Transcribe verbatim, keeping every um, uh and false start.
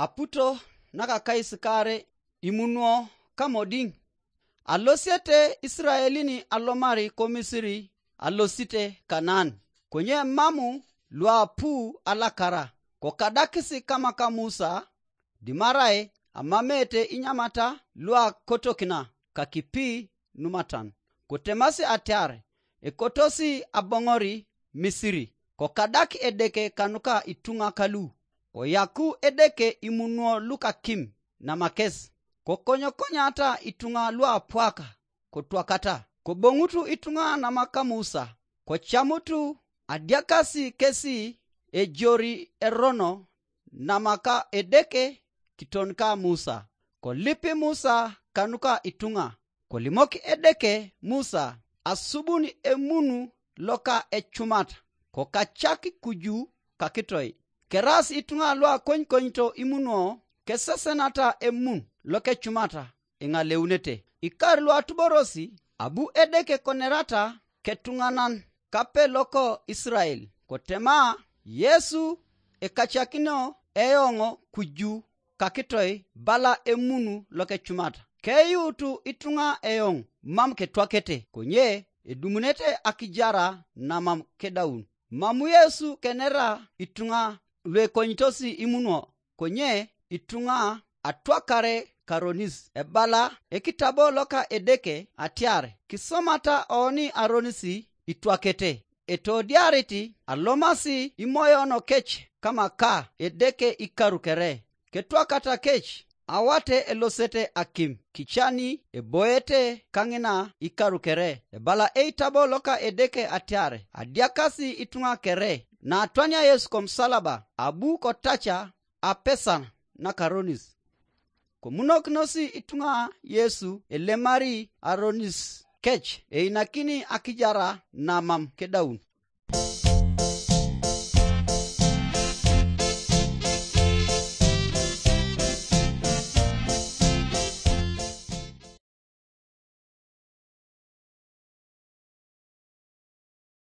Aputo nakakaisikaare imunuo kamodiŋ. Alosiete Isiraelin alomari ko Misiri, alosite Kanaan, konye mamu luapu alakara, kokadakisi kamaka Musa, dimarai amamete inyamata luakotokina kakipi numatan. Kotemasi atiar, ekotosi aboŋori Misiri, kokadak Edeke kanuka ituŋa kalu, koyaku Edeke imunuo lukakim namakes, kokonyokonyata ituŋa luapwaka kotwakata, koboŋutu ituŋa namaka Musa, kocamutu adiakasi kesi ejori erono namaka Edeke kitonika Musa. Kolipi Musa kanuka ituŋa, kolimok Edeke Musa asubun emunu loka ecumat, kokacak kuju kakitoi. Keras ituŋa luakonykonito imunuo kesesenata emun lokecumata, iŋaleunete. Ikar luatuborosi abu Edeke konerata ketuŋanan kape loko Isirael, kotema, Yesu ekacakinio eoŋ kuju kakitoi bala emunu lokecumata. Keyuutu ituŋa eoŋ mam ketwakete, konye edumunete akijara namam kedaun. Mam Yesu kenera ituŋa luekonyitos imunuo, konye ituŋa atwakare karonis. Ebala ekitabo loka Edeke atiar, kisomata oni aronis itwakete, etodiarit alomasi imoyono kec kamaka Edeke ikaru kere. Ketwakata kec awate elosete akim, kicani eboete kaŋina ikaru kere. Ebala eitabo loka Edeke atiar, adiakasi ituŋa kere. Natwania Yesu komusalaba, abu kotaca apesan nakaronis. Komunokinosi ituŋa Yesu elemari aronis kec, einakini akijara namam kedaun.